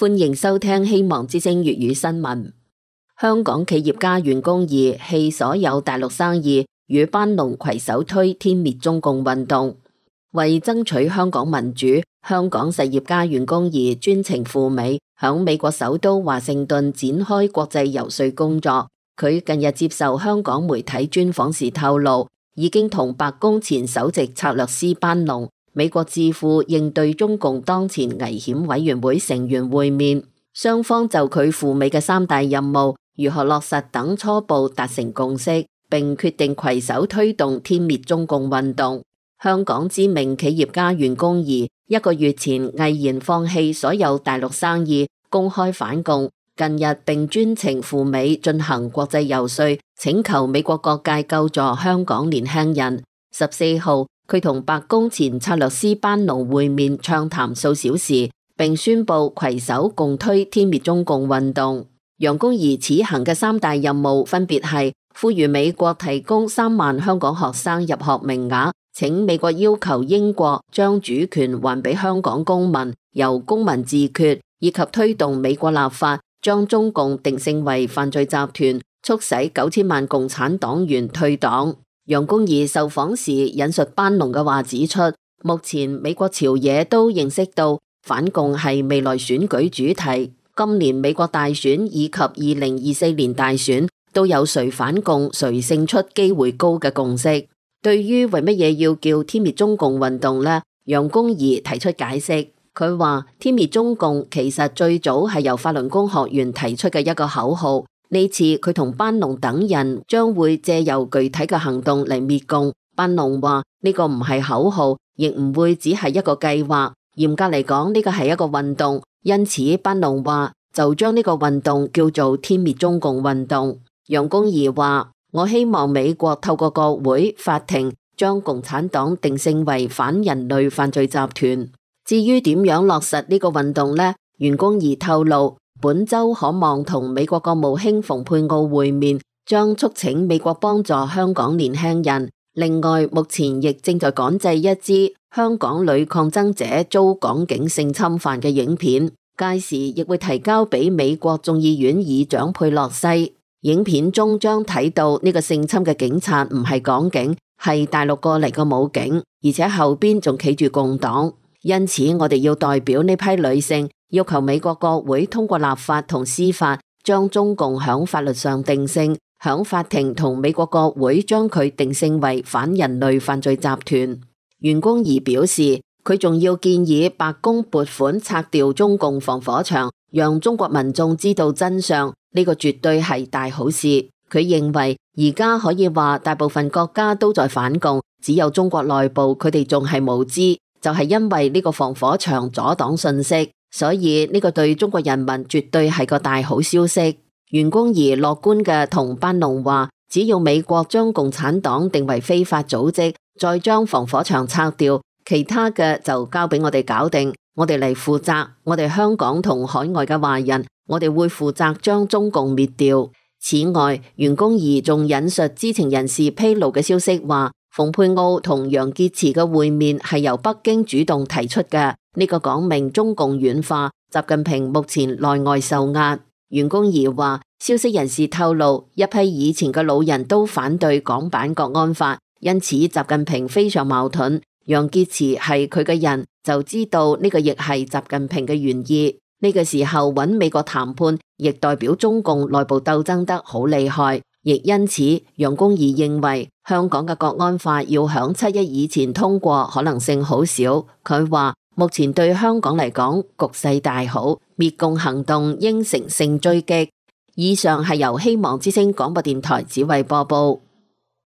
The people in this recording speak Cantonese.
歡迎收聽希望之聲粵語新聞。香港企業家袁弓夷棄所有大陸生意，與班農攜手推天滅中共運動。為爭取香港民主，香港實業家袁弓夷專程赴美，響美國首都華盛頓展開國際遊說工作。佢近日接受香港媒體專訪時透露，已經同白宮前首席策略師班農、美國智庫應對中共當前危險委員會成員會面，雙方就佢赴美嘅3大任務如何落實等初步達成共識，並決定攜手推動天滅中共運動。香港知名企業家袁弓夷1個月前毅然放棄所有大陸生意，公開反共，近日並專程赴美進行國際遊說，請求美國各界救助香港年輕人。14號，佢同白宮前策略師班農會面暢談數小時，並宣布攜手共推天滅中共運動。袁弓夷此行嘅3大任務分別係呼籲美國提供3萬香港學生入學名額，請美國要求英國將主權還俾香港公民，由公民自決，以及推動美國立法將中共定性為犯罪集團，促使9000萬共產黨員退黨。袁弓夷受訪時引述班農嘅話指出，目前美國朝野都認識到反共係未來選舉主題，今年美國大選以及2024年大選都有誰反共誰勝出機會高嘅共識。對於為乜嘢要叫天滅中共運動呢？袁弓夷提出解釋，佢話天滅中共其實最早係由法輪功學員提出嘅一個口號。呢次佢同班農等人將會借由具體嘅行動嚟滅共。班農話呢個唔係口號，亦唔會只係一個計劃。嚴格嚟講，呢個係一個運動，因此班農話就將呢個運動叫做天滅中共運動。袁弓夷話：我希望美國透過國會、法庭將共產黨定性為反人類犯罪集團。至於點樣落實呢個運動呢？袁弓夷透露，本周可望同美國國務卿蓬佩奧會面，將促請美國幫助香港年輕人。另外，目前亦正在趕製一支香港女抗爭者遭港警性侵犯嘅影片，屆時亦會提交俾美國眾議院議長佩洛西。影片中將睇到呢個性侵嘅警察唔係港警，係大陸過嚟嘅武警，而且後邊仲企住共黨。因此，我哋要代表呢批女性，要求美國國會通過立法同司法，將中共響法律上定性，響法庭同美國國會將佢定性為反人類犯罪集團。袁弓夷表示，佢仲要建議白宮撥款拆掉中共防火牆，讓中國民眾知道真相，呢個絕對係大好事。佢認為而家可以話大部分國家都在反共，只有中國內部佢哋仲係無知，就係因為呢個防火牆阻擋信息，所以呢個對中國人民絕對係個大好消息。袁弓夷樂觀嘅同班農話，只要美國將共產黨定為非法組織，再將防火牆拆掉，其他嘅就交俾我哋搞定，我哋嚟負責。我哋香港同海外嘅華人，我哋會負責將中共滅掉。此外，袁弓夷仲引述知情人士披露嘅消息話，蓬佩奧同楊潔篪嘅會面係由北京主動提出嘅，呢個講明中共軟化，習近平目前內外受壓。袁弓夷話，消息人士透露，一批以前嘅老人都反對港版國安法，因此習近平非常矛盾。楊潔篪係佢嘅人，就知道呢個亦係習近平嘅原意。呢個時候揾美國談判，亦代表中共內部鬥爭得好厲害。亦因此，袁弓夷認為香港嘅國安法要響7·1以前通過可能性好少。佢話目前對香港嚟講局勢大好，滅共行動應乘勝追擊。以上係由希望之聲廣播電台指揮播報。